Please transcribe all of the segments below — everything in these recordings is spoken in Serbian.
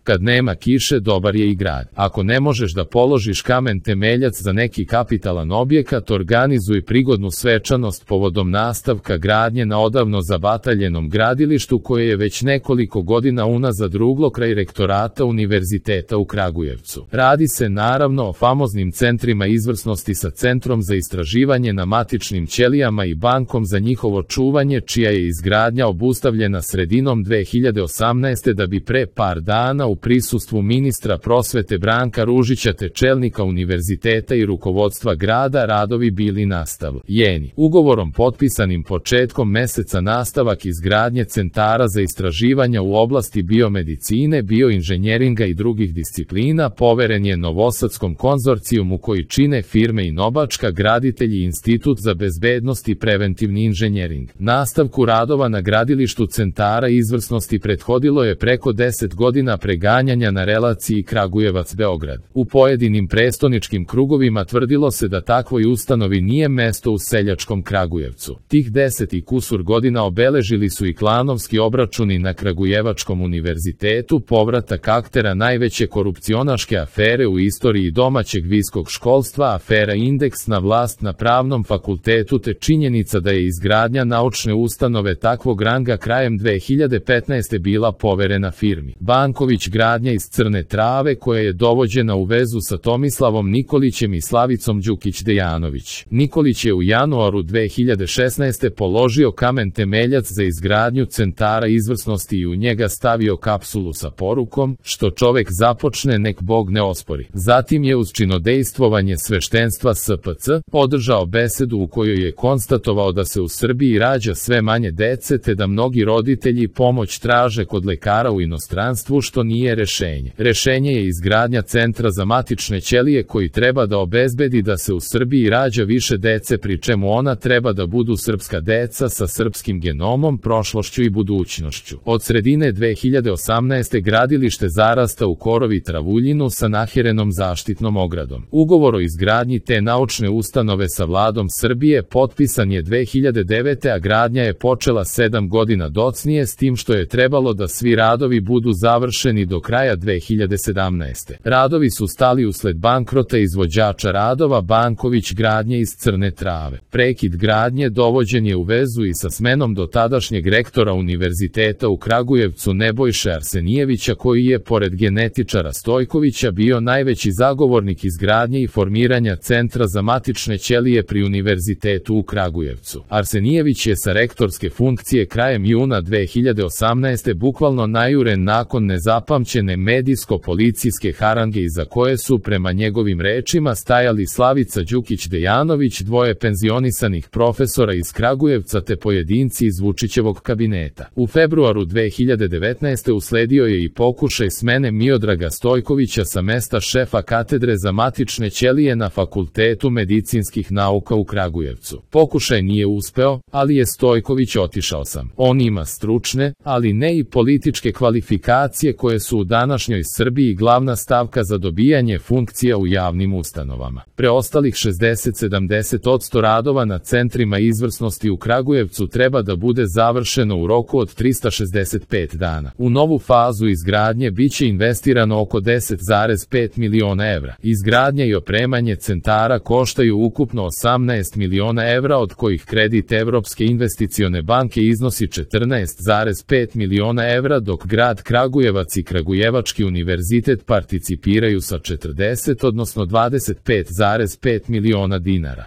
Kad nema kiše, dobar je i grad. Ako ne možeš da položiš kamen temeljac za neki kapitalan objekat, organizuj prigodnu svečanost povodom nastavka gradnje na odavno zabataljenom gradilištu koje je već nekoliko godina unazad ruglo kraj rektorata Univerziteta u Kragujevcu. Radi se naravno o famoznim centrima izvrsnosti sa Centrom za istraživanje na matičnim ćelijama i bankom za njihovo čuvanje, čija je izgradnja obustavljena sredinom 2018. da bi pre par dana u prisustvu ministra prosvete Branka Ružića te čelnika univerziteta i rukovodstva grada radovi bili nastavljeni. Ugovorom potpisanim početkom meseca nastavak izgradnje centara za istraživanja u oblasti biomedicine, bioinženjeringa i drugih disciplina poveren je Novosadskom konzorcijumu koji čine firme Inobačka, Graditelj i Institut za bezbednost i preventivni inženjering. Nastavku radova na gradilištu centara izvrsnosti prethodilo je preko 10 godina preganjanja na relaciji Kragujevac-Beograd. U pojedinim prestoničkim krugovima tvrdilo se da takvoj ustanovi nije mesto u seljačkom Kragujevcu. Tih 10 i kusur godina obeležili su i klanovski obračuni na Kragujevačkom univerzitetu, povratak aktera najveće korupcionaške afere u istoriji domaćeg visokog školstva, afera Indeks na vlast na Pravnom fakultetu te činjenica da je izgradnja naučne ustanove takvog ranga krajem 2015. bila poverena firmi Banković gradnja iz Crne Trave koja je dovođena u vezu sa Tomislavom Nikolićem i Slavicom Đukić-Dejanović. Nikolić je u januaru 2016. položio kamen temeljac za izgradnju centara izvrsnosti i u njega stavio kapsulu sa porukom: što čovek započne nek Bog ne ospori. Zatim je uz činodejstvovanje sveštenstva SPC održao besedu u kojoj je konstatovao da se u Srbiji rađa sve manje dece te da mnogi roditelji pomoć traže kod lekara u inostranstvu, što nije rešenje. Rešenje je izgradnja centra za matične ćelije koji treba da obezbedi da se u Srbiji rađa više dece, pri čemu ona treba da budu srpska deca sa srpskim genomom, prošlošću i budućnošću. Od sredine 2018. gradilište zarasta u korov i travuljinu sa nahirenom zaštitnom ogradom. Ugovor o izgradnji te naučne ustanove sa vladom Srbije potpisan je 2009. a gradnja je počela 7 godina docnije, s tim što je trebalo da svi radovi budu završeni do kraja 2017. Radovi su stali usled bankrota izvođača radova Banković gradnje iz Crne Trave. Prekid gradnje dovođen je u vezu i sa smenom dotadašnjeg rektora Univerziteta u Kragujevcu Nebojše Arsenijevića, koji je, pored genetičara Stojkovića, bio najveći zagovornik izgradnje i formiranja centra za matične ćelije pri Univerzitetu u Kragujevcu. Arsenijević je sa rektorske funkcije krajem juna 2018. bukvalno najuren nakon nezapamćene medijsko-policijske harange iza koje su, prema njegovim rečima, stajali Slavica Đukić-Dejanović, dvoje penzionisanih profesora iz Kragujevca te pojedinci iz Vučićevog kabineta. U februaru 2019. usledio je i pokušaj smene Miodraga Stojkovića sa mesta šefa katedre za matične ćelije na Fakultetu medicinskih nauka u Kragujevcu. Pokušaj nije uspeo, ali je Stojković otišao sam. On ima stručne, ali ne i političke kvalifikacije koje su u današnjoj Srbiji glavna stavka za dobijanje funkcija u javnim ustanovama. Preostalih 60-70% radova na centrima izvrsnosti u Kragujevcu treba da bude završeno u roku od 365 dana. U novu fazu izgradnje biće investirano oko 10,5 miliona evra. Izgradnja i opremanje centara koštaju ukupno 18 miliona evra, od kojih kredit Evropske investicione banke iznosi 14,5 miliona evra, dok grad Kragujevac i Kragujevački univerzitet participiraju sa 40, odnosno 25,5 miliona dinara.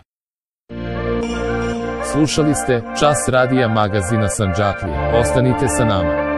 Slušali ste Čas radija magazina Sandžaklija. Ostanite sa nama.